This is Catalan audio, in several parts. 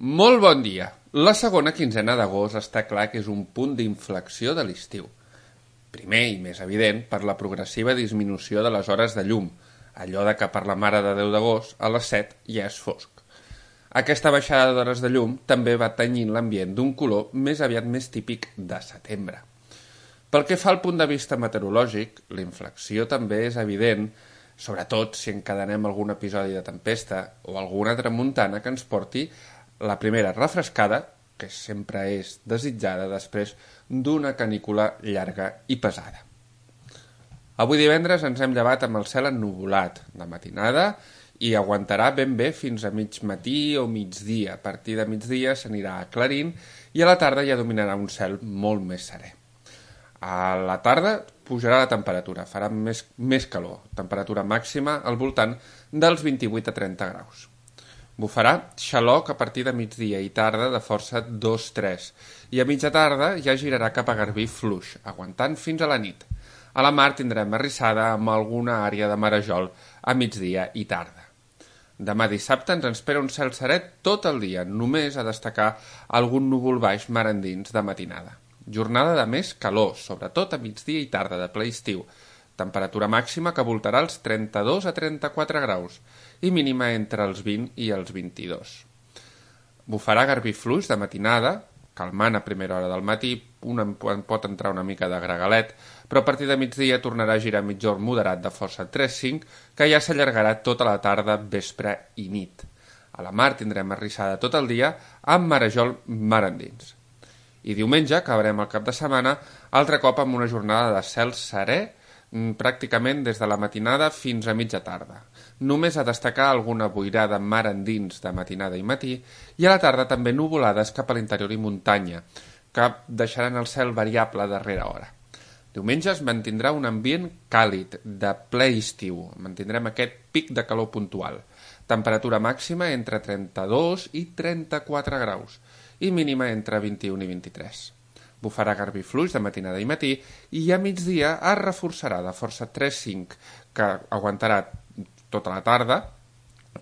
Molt bon dia. La segona quinzena d'agost està clar que és un punt d'inflexió de l'estiu. Primer i més evident per la progressiva disminució de les hores de llum, allò de que per la Mare de Déu d'agost a les 7 ja és fosc. Aquesta baixada d'hores de llum també va tenyint l'ambient d'un color més aviat més típic de setembre. Pel que fa al punt de vista meteorològic, la inflexió també és evident, sobretot si encadenem algun episodi de tempesta o alguna tramuntana que ens porti la primera refrescada, que sempre és desitjada després d'una canícula llarga i pesada. Avui divendres ens hem llevat amb el cel ennuvolat de matinada i aguantarà ben bé fins a mig matí o migdia. A partir de migdia s'anirà aclarint i a la tarda ja dominarà un cel molt més serè. A la tarda pujarà la temperatura, farà més calor, temperatura màxima al voltant dels 28 a 30 graus. Bufarà xaloc a partir de migdia i tarda de força 2-3 i a mitja tarda ja girarà cap a Garbí fluix, aguantant fins a la nit. A la mar tindrem arrissada amb alguna àrea de marejol a migdia i tarda. Demà dissabte ens espera un cel serè tot el dia, només a destacar algun núvol baix mar endins de matinada. Jornada de més calor, sobretot a migdia i tarda de ple estiu. Temperatura màxima que voltarà els 32 a 34 graus i mínima entre els 20 i els 22. Bufarà Garbí fluix de matinada, calmant a primera hora del matí, pot entrar una mica de gregalet, però a partir de migdia tornarà a girar mitjorn moderat de força 3-5, que ja s'allargarà tota la tarda, vespre i nit. A la mar tindrem arrissada tot el dia amb marejol mar endins. I diumenge acabarem el cap de setmana altre cop amb una jornada de cel serè pràcticament des de la matinada fins a mitja tarda. Només a destacar alguna boirada mar endins de matinada i matí i a la tarda també nuvolades cap a l'interior i muntanya, que deixaran el cel variable darrera hora. Diumenge es mantindrà un ambient càlid, de ple estiu. Mantindrem aquest pic de calor puntual. Temperatura màxima entre 32 i 34 graus i mínima entre 21 i 23. Bufarà Garbí fluix de matinada i matí i a migdia es reforçarà de força 3-5, que aguantarà tota la tarda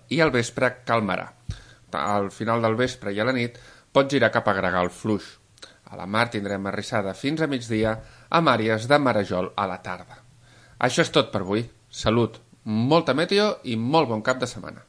i al vespre calmarà. Al final del vespre i a la nit pot girar cap a Gregal fluix. A la mar tindrem arrissada fins a migdia amb àrees de marejol a la tarda. Això és tot per avui. Salut, molta meteo i molt bon cap de setmana.